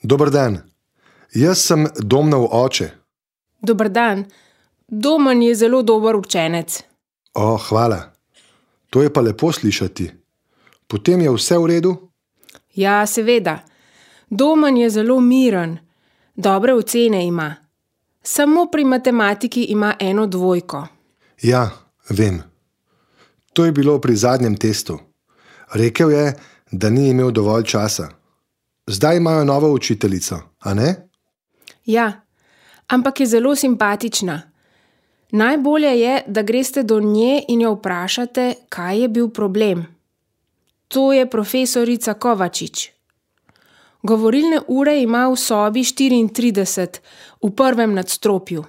Dober dan. Jaz sem Domnov oče. Dober dan. Domen je zelo dober učenec. Hvala. To je pa lepo slišati. Potem je vse v redu? Ja, seveda. Domen je zelo miren. Dobre ocene ima. Samo pri matematiki ima 1 dvojko. Ja, vem. To je bilo pri zadnjem testu. Rekel je, da ni imel dovolj časa. Zdaj imajo novo učiteljico, a ne? Ja, ampak je zelo simpatična. Najbolje je, da greste do nje in jo vprašate, kaj je bil problem. To je profesorica Kovačič. Govorilne ure ima v sobi 34, v 1. nadstropju.